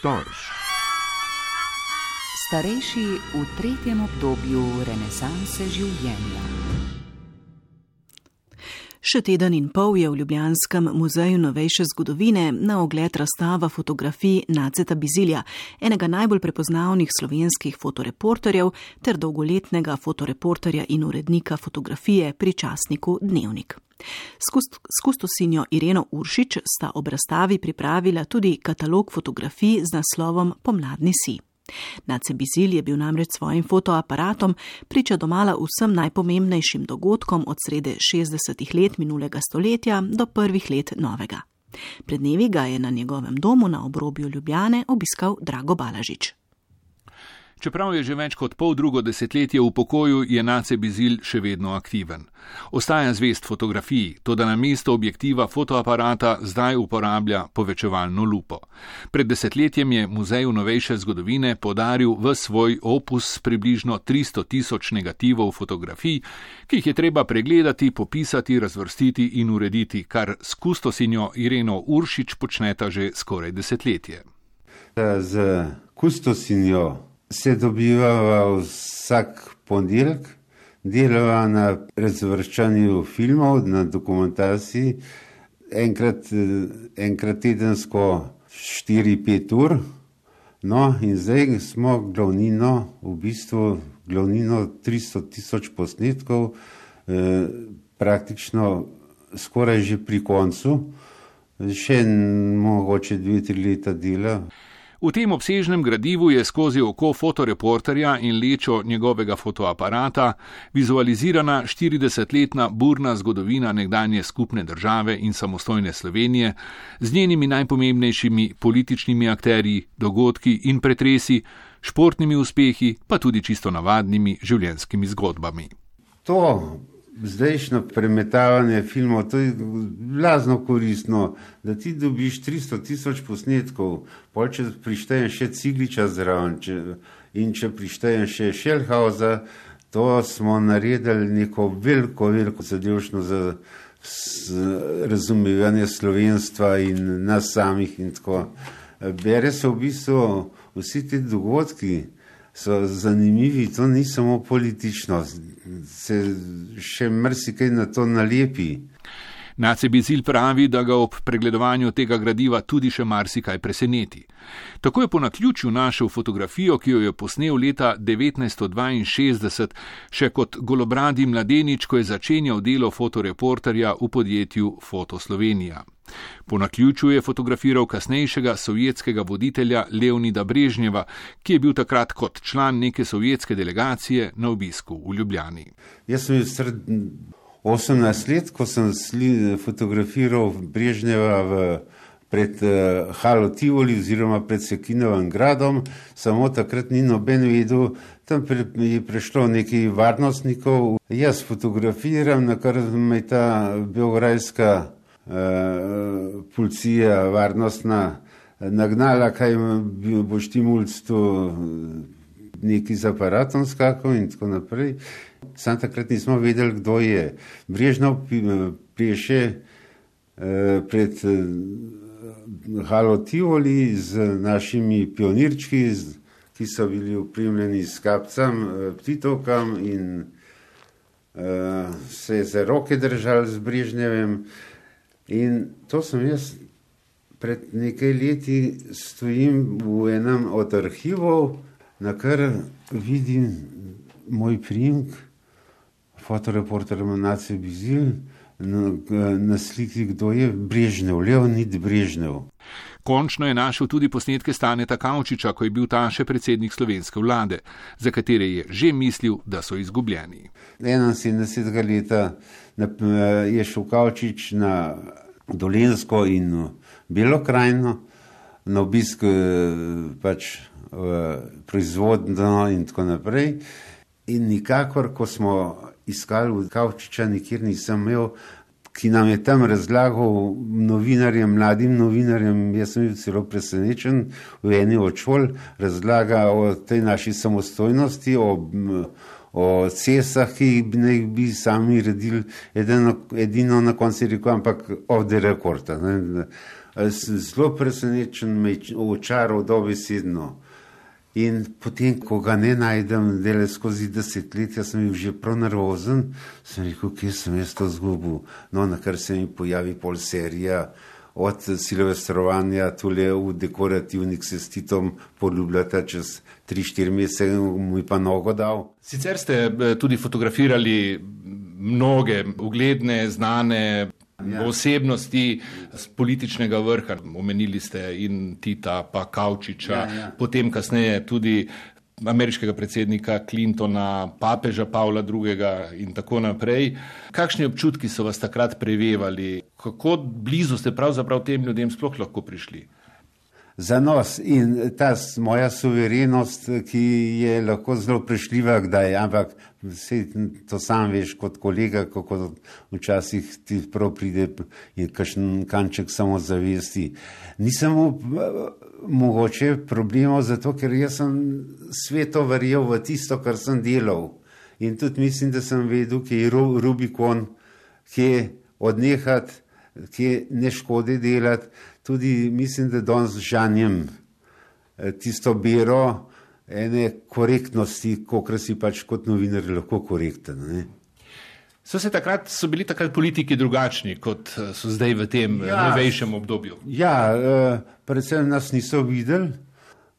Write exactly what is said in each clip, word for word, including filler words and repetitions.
Storch. Starejši v tretjem obdobju renesanse življenja. Še teden in pol je v Ljubljanskem muzeju novejše zgodovine na ogled razstava fotografij Naceta Bizilja, enega najbolj prepoznavnih slovenskih fotoreporterjev ter dolgoletnega fotoreporterja in urednika fotografije pri časniku Dnevnik. S kustosinjo Ireno Uršič sta ob razstavi pripravila tudi katalog fotografij z naslovom Pomladni sij. Nace Bizilj je bil namreč svojim fotoaparatom priča domala vsem najpomembnejšim dogodkom od srede šestdesetih let minulega stoletja do prvih let novega. Pred dnevi ga je na njegovem domu na obrobju Ljubljane obiskal Drago Balažič. Čeprav je že več kot pol drugo desetletje v pokoju, je Nace Bizilj še vedno aktiven. Ostaja zvest fotografiji, toda na mesto objektiva fotoaparata zdaj uporablja povečevalno lupo. Pred desetletjem je Muzeju novejše zgodovine podaril v svoj opus približno tristo tisoč negativov fotografij, ki jih je treba pregledati, popisati, razvrstiti in urediti, kar s kustosinjo Ireno Uršič počneta že skoraj desetletje. Z kustosinjo se dobivava vsak ponedeljek, delava na razvrščanju filmov, na dokumentaciji, enkrat, enkrat tedensko štiri pet ur. No, in zdaj smo glavnino, v bistvu glavnino tristo tisoč posnetkov, eh, praktično skoraj že pri koncu, še mogoče dve, tri leta dela. V tem obsežnem gradivu je skozi oko fotoreporterja in lečo njegovega fotoaparata vizualizirana štiridesetletna burna zgodovina nekdanje skupne države in samostojne Slovenije z njenimi najpomembnejšimi političnimi akterji, dogodki in pretresi, športnimi uspehi, pa tudi čisto navadnimi življenjskimi zgodbami. To zdajšnjo premetavanje filmov, to je blazno koristno, da ti dobiš tristo tisoč posnetkov, pol če prištejem še Cigliča zraven, če, in če prištejem še Šelhausa, to smo naredili neko veliko, veliko zadevšno za razumevanje slovenstva in nas samih in tako. Bere se v bistvu vsi ti dogodki, so zanimivi, to ni samo politično, se še marsikaj na to nalepi. Nace Bizilj pravi, da ga ob pregledovanju tega gradiva tudi še marsikaj preseneti. Tako je po naključju našel fotografijo, ki jo je posnel leta devetnajststo dvainšestdeset, še kot golobradi mladenič, ko je začenjal delo fotoreporterja v podjetju Foto Slovenija. Po naključju je fotografiral kasnejšega sovjetskega voditelja Leonida Brežnjeva, ki je bil takrat kot član neke sovjetske delegacije na obisku v Ljubljani. Jaz sem sred osemnajst let, ko sem sli, fotografiral Brežnjeva v, pred uh, Halo Tivoli oziroma pred Sekinovim gradom, samo takrat ni noben vedel, tam pre, je prišlo nekaj varnostnikov. Jaz fotografiram, na kar me ta beograjska Uh, policija varnostna nagnala, kaj boš ti mulc tu neki z aparatom skakal in tako naprej. Sam takrat nismo vedeli, kdo je. Brežnjev peše uh, pred uh, Halo Tivoli z našimi pionirčki, z, ki so bili opremljeni s kapcem, uh, ptitovkam in uh, se za roke držali z Brežnjevem. In to sem jaz pred nekaj leti stojim v enem od arhivov, na kar vidim moj priimek, fotoreporter Nace Bizilj, na, na sliki, kdo je Brežnjev, Leonid Brežnjev. Končno je našel tudi posnetke Staneta Kavčiča, ko je bil ta še predsednik slovenske vlade, za katere je že mislil, da so izgubljeni. enainsedemdesetega leta je šel Kavčič na Dolenjsko in Belo krajino, na obisk pač proizvodno in tako naprej. In nikakor, ko smo iskali v Kavčiča, nikjer nisem imel, ki nam je tam razlagal novinarjem, mladim novinarjem, jaz sem bil celo presenečen, v eni od šol razlaga o tej naši samostojnosti, o, o cestah, ki ne bi sami redili, edino, edino na koncu rekel, ampak off the record. Ne. Zelo presenečen, me očaral dobesedno. In potem, ko ga ne najdem, dele skozi desetletja, sem bil že prav nervozen, sem rekel, kje sem jaz to zgubil. No, na kar se mi pojavi pol serija od silvestrovanja tule v dekorativnih se s Titom poljubljata čez tri štiri mesece, mu je pa nogo dal. Sicer ste tudi fotografirali mnoge ugledne, znane Ja. osebnosti z političnega vrha. Omenili ste in Tita, pa Kavčiča, ja, ja. potem kasneje tudi ameriškega predsednika Clintona, papeža Pavla drugega in tako naprej. Kakšni občutki so vas takrat prevevali? Kako blizu ste pravzaprav tem ljudem sploh lahko prišli? Zanos in ta moja suverenost, ki je lahko zelo prešljiva kdaj, ampak vse to sam veš kot kolega, kako včasih ti prav pride in kakšen kanček samozavesti. Nisem mogoče problemov zato, ker jaz sem sveto verjel v tisto, kar sem delal. In tudi mislim, da sem vedel, kje je Rubikon, kje odnehati, kje ne škode delati. Tudi mislim, da danes žanjem tisto bero ene korektnosti, kolikor si pač kot novinar lahko korekten. Ne? So, se takrat, so bili takrat politiki drugačni, kot so zdaj v tem ja, novejšem obdobju? Ja, predvsem nas niso videli,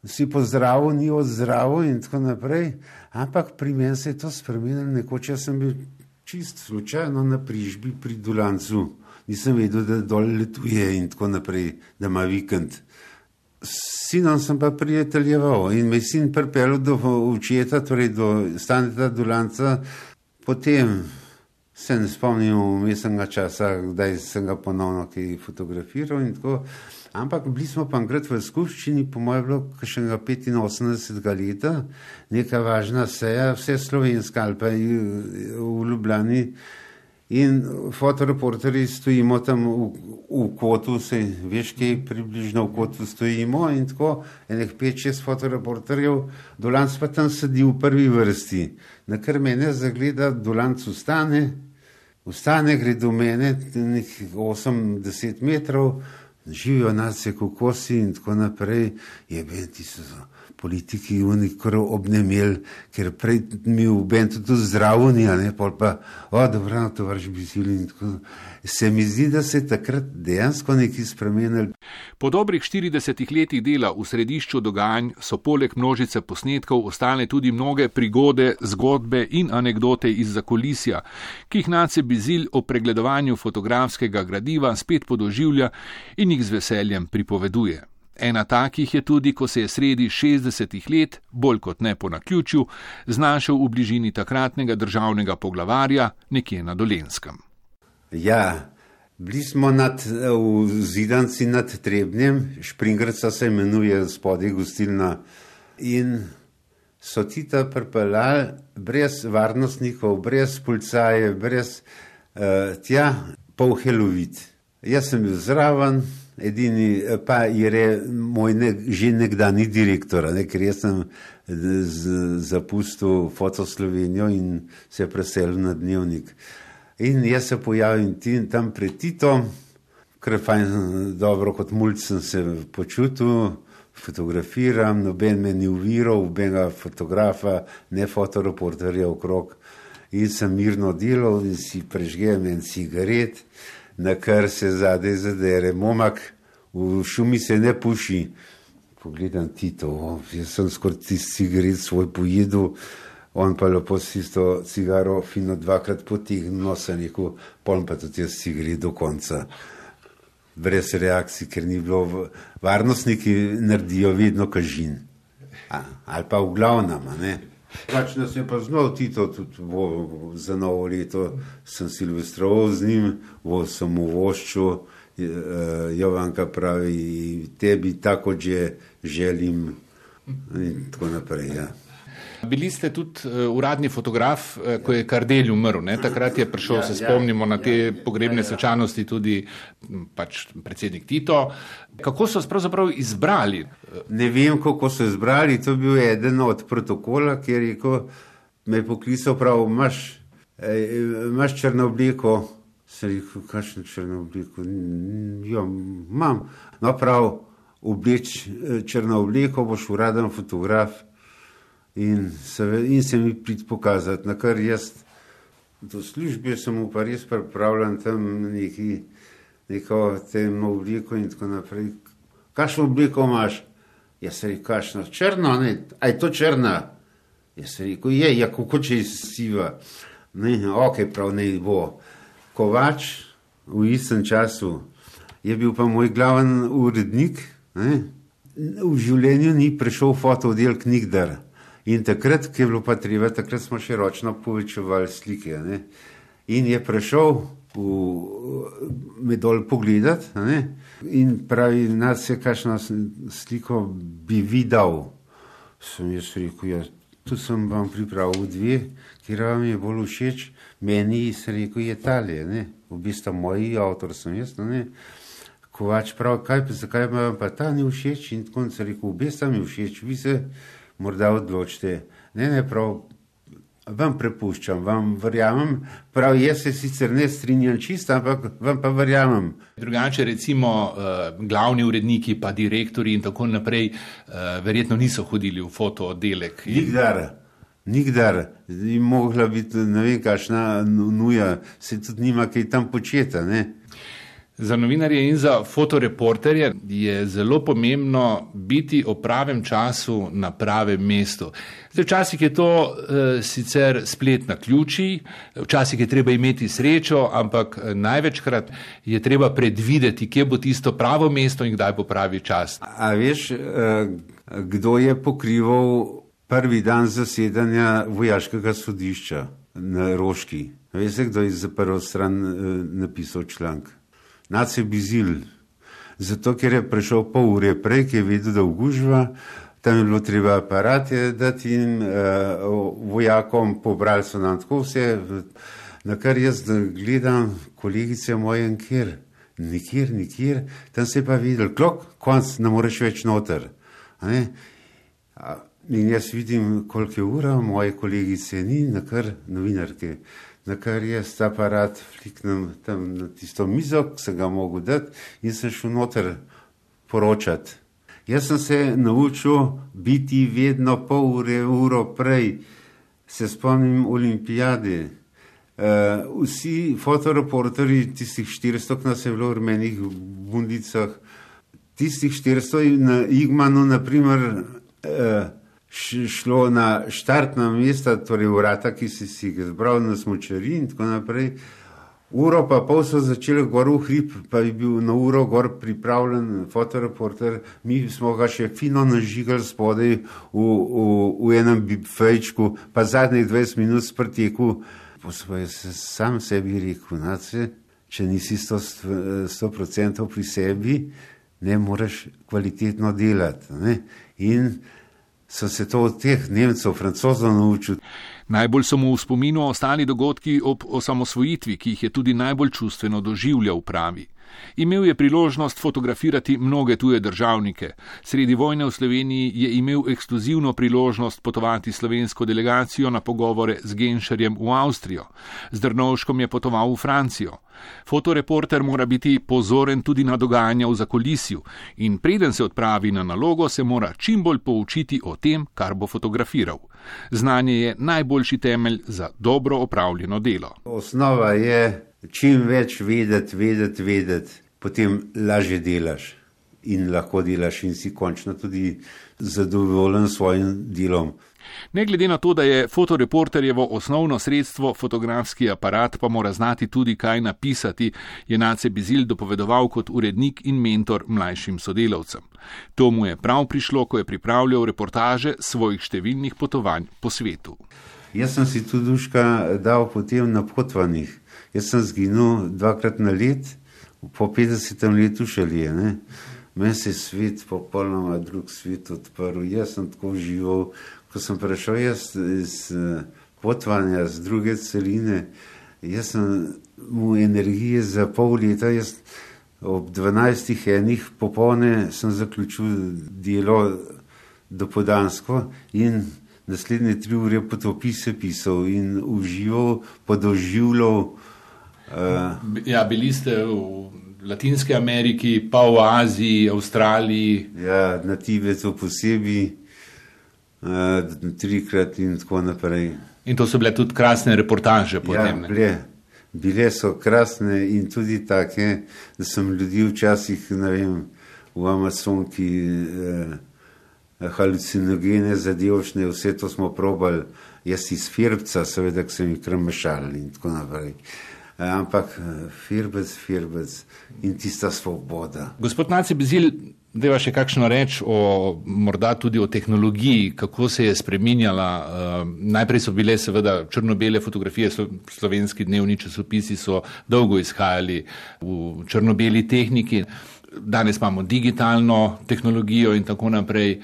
si pozdravil, ni odzdravil in tako naprej, ampak pri meni se je to spremenilo. Nekoč jaz sem bil čist slučajno na prižbi pri Dulancu. Nisem vedel, da dol letuje in tako naprej, da ima vikend. S sinom sem pa prijateljeval in me sin pripeljal do očeta, torej do Staneta Dulanca. Potem se ne spomnim vmesnega časa, kdaj sem ga ponovno kaj fotografiral in tako. Ampak bili smo pa enkrat v skupščini, po mojem bilo kakšnega petinosemdesetega leta, neka važna seja, vse slovenska ali pa v Ljubljani. In fotoreporterji stojimo tam v, v kotu, se veš, kaj približno v kotu stojimo in tako, enih pet, šest fotoreporterjev, Dolanc pa tam sedi v prvi vrsti. Na kar mene zagleda, Dolanc ustane, ustane, gre do mene, nekih osem do deset metrov, živijo nacije kokosi in tako naprej, jebe, ti so politiki unikor obnemel, ker prej mi v bentu tudi zdravo ni, a ne, pol pa, o, dobro, no, to vrš bizili in tako. Se mi zdi, da se je takrat dejansko nekaj spremenili. Po dobrih štiridesetih letih dela v središču dogajanj so poleg množice posnetkov ostale tudi mnoge prigode, zgodbe in anekdote iz zakulisja, ki jih Nace Bizilj o pregledovanju fotografskega gradiva spet podoživlja in jih z veseljem pripoveduje. Ena takih je tudi, ko se je sredi šestdesetih let, bolj kot ne po naključju, znašel v bližini takratnega državnega poglavarja nekje na Dolenjskem. Ja, bili smo nad, v Zidanci nad Trebnjem, Špringrca se imenuje spodaj gostilna, in so Tita pripeljali brez varnostnikov, brez policaje, brez uh, tja, pol helovit. Jaz sem bil zraven, edini pa je moj ne, že nekdani direktor, ne, ker jaz sem z, zapustil Foto Slovenijo in se preselil na Dnevnik. In jaz se pojavim tam pred Titom, ker fajn dobro kot mulj sem se počutil, fotografiram, noben me ni uviral, nobenega fotografa, ne fotoreporterja okrog. In sem mirno delal in si prežgem en cigaret, na kar se zadaj zadere momak, v šumi se ne puši. Pogledam Tito, o, jaz sem skoraj tisti cigaret svoj pojedel, on pa lepo si isto cigaro fino dvakrat potegnil, sem rekel, poln pa tudi jaz cigaret do konca. Brez reakcij, ker ni bilo, varnostniki naredijo vedno kažin. A, ali pa v glavnem, ne. Pač nas je pa znal Tito, tudi vo, za novo leto sem silvestroval z njim, vo sem mu voščil, Jovanka pravi, tebi tako že želim in tako naprej, ja. Bili ste tudi uh, uradni fotograf, uh, ko je Kardelj umrl, ne? Takrat je prišel, ja, se spomnimo, ja, na te ja, pogrebne ja, svečanosti tudi pač predsednik Tito. Kako so se pravzaprav izbrali? Ne vem, kako so izbrali, to je bil eden od protokola, kjer je rekel, me je poklical prav, imaš, imaš črno obleko. Sem rekel, kakšno črno obleko? Jo, imam. No prav, obleč črno obleko, boš uraden fotograf in se, in se mi prid pokazati. Na kar jaz do službe sem mu pa res pripravljen tam neki, neko temno obleko in tako naprej. Kakšno obleko imaš? Jaz sem rekel, kakšno? Črno, ne? A je to črna? Jaz sem rekel, je, ja, kako če je siva? Ne, ok, prav ne bo. Kovač v istem času je bil pa moj glaven urednik, ne? V življenju ni prišel fotooddelek nikdar. In takrat, ki je bilo pa treba, takrat smo še ročno povečevali slike. Ne? In je prišel v, me dol pogledat, ne? In pravi, nad se kakšno sliko bi videl. Sem jaz rekel, ja, tu sem vam pripravil dve, kjer vam je bolj všeč. Meni se rekel, je tale, ne, v bistvu moji avtor sem jaz, ne, Kovač prav, kaj, zakaj vam pa ta ni všeč in tako se rekel, v bistvu mi všeč, vi se morda odločite, ne, ne, prav, vam prepuščam, vam verjamem, prav, jaz se sicer ne strinjam čisto, ampak vam pa verjamem. Drugače recimo uh, glavni uredniki pa direktori in tako naprej uh, verjetno niso hodili v fotooddelek. Nikdar. Nikdar, je mogla biti, ne vem, kakšna nuja, se tudi nima kaj tam početa, ne. Za novinarje in za fotoreporterje je zelo pomembno biti o pravem času na pravem mestu. Zdaj, včasih je to e, sicer splet na ključi, včasih je treba imeti srečo, ampak največkrat je treba predvideti, kje bo tisto pravo mesto in kdaj bo pravi čas. A veš, e, kdo je pokrival prvi dan zasedanja vojaškega sodišča na Roški? Veste, kdo je za prvo stran e, napisal članek? Nace Bizilj. Zato, ker je prišel pol ure prej, ki je vedel, da ugužva, tam je bilo treba aparate dati in e, vojakom pobrali so nam tako vse, na kar jaz gledam kolegice moje nikjer, nikjer, nikjer, tam se je pa videl, klok, konc, ne moreš več noter. A ne? A, in jaz vidim, koliko je ura, moje kolegice ni, na kar novinarke, na kar jaz ta aparat fliknem tam na tisto mizo, ki sem ga mogel dati in sem šel noter poročati. Jaz sem se naučil biti vedno pol ure, uro prej. Se spomnim olimpijade. Uh, vsi fotoreporterji, tistih štiristo, ki nas je bilo v rumenih bundicah, tistih štiristo na Igmanu, naprimer, uh, šlo na štartna mesta, torej vrata, ki si si ga zbral na smučari in tako naprej. Uro pa pol so začeli gor v hrib, pa je bil na uro gor pripravljen fotoreporter. Mi smo ga še fino nažigali spodaj v, v, v enem bifejčku, pa zadnjih dvajset minut sprteku. Posebej se sam sebi rekel, nace, če nisi sto procentov pri sebi, ne moreš kvalitetno delati. Ne? In so se to od teh Nemcev, Francozov naučili. Najbolj so mu v spominu ostali dogodki ob osamosvojitvi, ki jih je tudi najbolj čustveno doživljal, pravi. Imel je priložnost fotografirati mnoge tuje državnike. Sredi vojne v Sloveniji je imel ekskluzivno priložnost potovati slovensko delegacijo na pogovore z Genšerjem v Avstrijo. Z Drnovškom je potoval v Francijo. Fotoreporter mora biti pozoren tudi na dogajanja v zakulisju in preden se odpravi na nalogo, se mora čim bolj poučiti o tem, kar bo fotografiral. Znanje je najboljši temelj za dobro opravljeno delo. Osnova je čim več vedeti, vedeti, vedeti, potem lažje delaš in lahko delaš in si končno tudi zadovoljen s svojim delom. Ne glede na to, da je fotoreporterjevo osnovno sredstvo fotografski aparat, pa mora znati tudi kaj napisati, je Nace Bizilj dopovedoval kot urednik in mentor mlajšim sodelavcem. To mu je prav prišlo, ko je pripravljal reportaže svojih številnih potovanj po svetu. Jaz sem si tudi duška dal potem na potovanjih. Jaz sem zginil dvakrat na let, po petdesetem letu šele, ne. Meni se je svet popolnoma drug svet odprl. Jaz sem tako živel, ko sem prišel jaz iz potovanja z druge celine, jaz sem mu energije za pol leta, jaz ob dvanajstih enih popolne sem zaključil delo dopoldansko in naslednje tri ure potopise pisal in užival, podoživljal. Uh, ja, bili ste v Latinski Ameriki, pa v Aziji, Avstraliji. Ja, na Tibetu posebej, uh, trikrat in tako naprej. In to so bile tudi krasne reportaže potem. Ja, bile, bile so krasne in tudi take, da sem ljudi včasih, ne vem, v Amazonki eh, halucinogene, zadevšne, vse to smo probali, jaz iz Firbca, seveda, ki sem jih krmešal in tako naprej. Eh, ampak Firbec, Firbec in tista svoboda. Gospod Nace Bizilj, deva še kakšno reč o, morda tudi o tehnologiji, kako se je spreminjala. Uh, najprej so bile seveda črno-bele fotografije, slo, slovenski dnevni časopisi so dolgo izhajali v črno-beli tehniki. Danes imamo digitalno tehnologijo in tako naprej.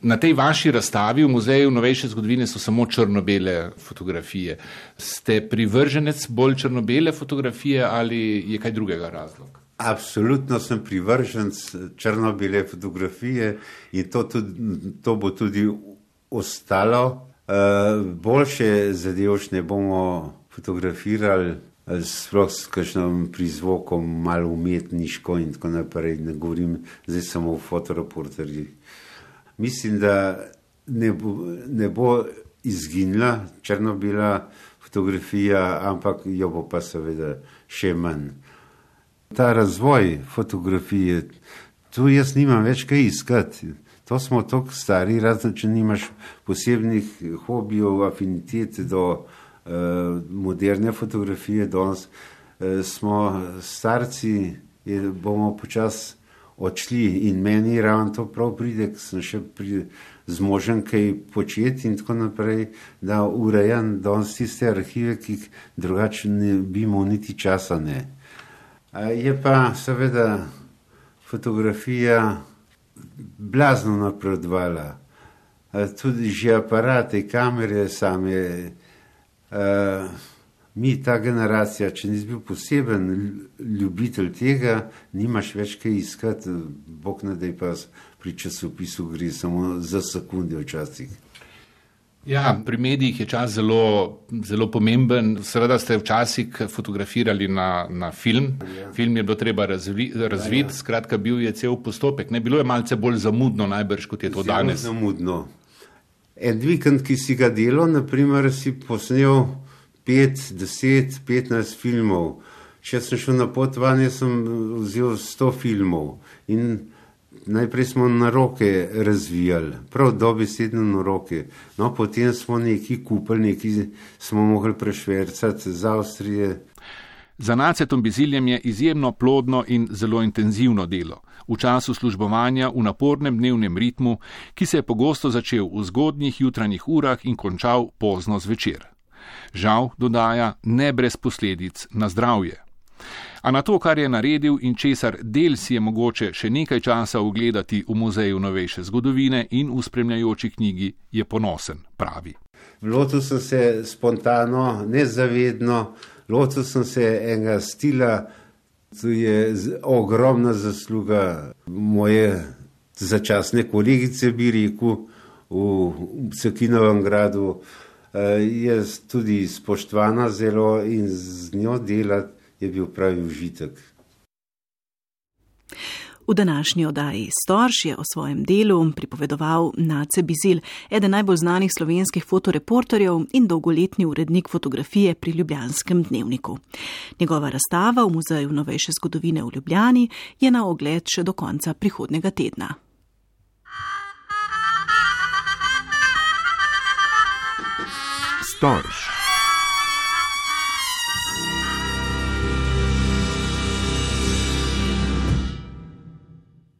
Na tej vaši razstavi v Muzeju novejše zgodovine so samo črno-bele fotografije. Ste privrženec bolj črno-bele fotografije ali je kaj drugega razlog? Absolutno sem privrženec črno-bele fotografije in to, tudi, to bo tudi ostalo. Uh, boljše zadevšne bomo fotografirali, sploh s kakšnim prizvokom, malo umetniško in tako naprej. Ne govorim zdaj samo o fotoreporterjih. Mislim, da ne bo, ne bo izginila črno-bela fotografija, ampak jo bo pa seveda še manj. Ta razvoj fotografije, tu jaz nimam več kaj iskati. To smo toliko stari, razen če nimaš posebnih hobijev, afinitet do uh, moderne fotografije. Danes uh, smo starci, je, bomo počasi odšli in meni ravno to prav pride, ker sem še pri, zmožen kaj početi in tako naprej, da urejam danes tiste arhive, ki drugače ne bi imel niti časa ne. Je pa seveda fotografija blazno napredovala. Tudi že aparate, kamere same. Mi, ta generacija, če nisi bil poseben ljubitelj tega, nimaš več kaj iskati. Bog ne daj pa pri časopisu gre samo za sekunde včasih. Ja, pri medijih je čas zelo, zelo pomemben. Seveda ste včasih fotografirali na, na film. Ja. Film je bilo treba razvi, razviti, ja, ja. Skratka bil je cel postopek. Ne, bilo je malce bolj zamudno najbrž, kot je to zelo danes. Zamudno. En vikend, ki si ga delal, naprimer, si posnel pet, deset, petnajst filmov. Če sem šel na potovanje, sem vzel sto filmov in najprej smo na roke razvijali, prav dobesedno na roke. No, potem smo nekaj kupili, nekaj smo mogli prešvercati z Avstrije. Za Nacetom Biziljem je izjemno plodno in zelo intenzivno delo. V času službovanja v napornem dnevnem ritmu, ki se je pogosto začel v zgodnjih jutranjih urah in končal pozno zvečer. Žal, dodaja, ne brez posledic na zdravje. A na to, kar je naredil in česar del si je mogoče še nekaj časa ogledati v Muzeju novejše zgodovine in v spremljajoči knjigi, je ponosen, pravi. Lotil sem se spontano, nezavedno, lotil sem se enega stila, to je ogromna zasluga moje začasne kolegice, bi rekel, v Cekinovem gradu. Je tudi spoštovana zelo in z njo delati je bil pravi užitek. V današnji oddaji Storž je o svojem delu pripovedoval Nace Bizilj, eden najbolj znanih slovenskih fotoreporterjev in dolgoletni urednik fotografije pri Ljubljanskem dnevniku. Njegova razstava v Muzeju novejše zgodovine v Ljubljani je na ogled še do konca prihodnjega tedna. Storž.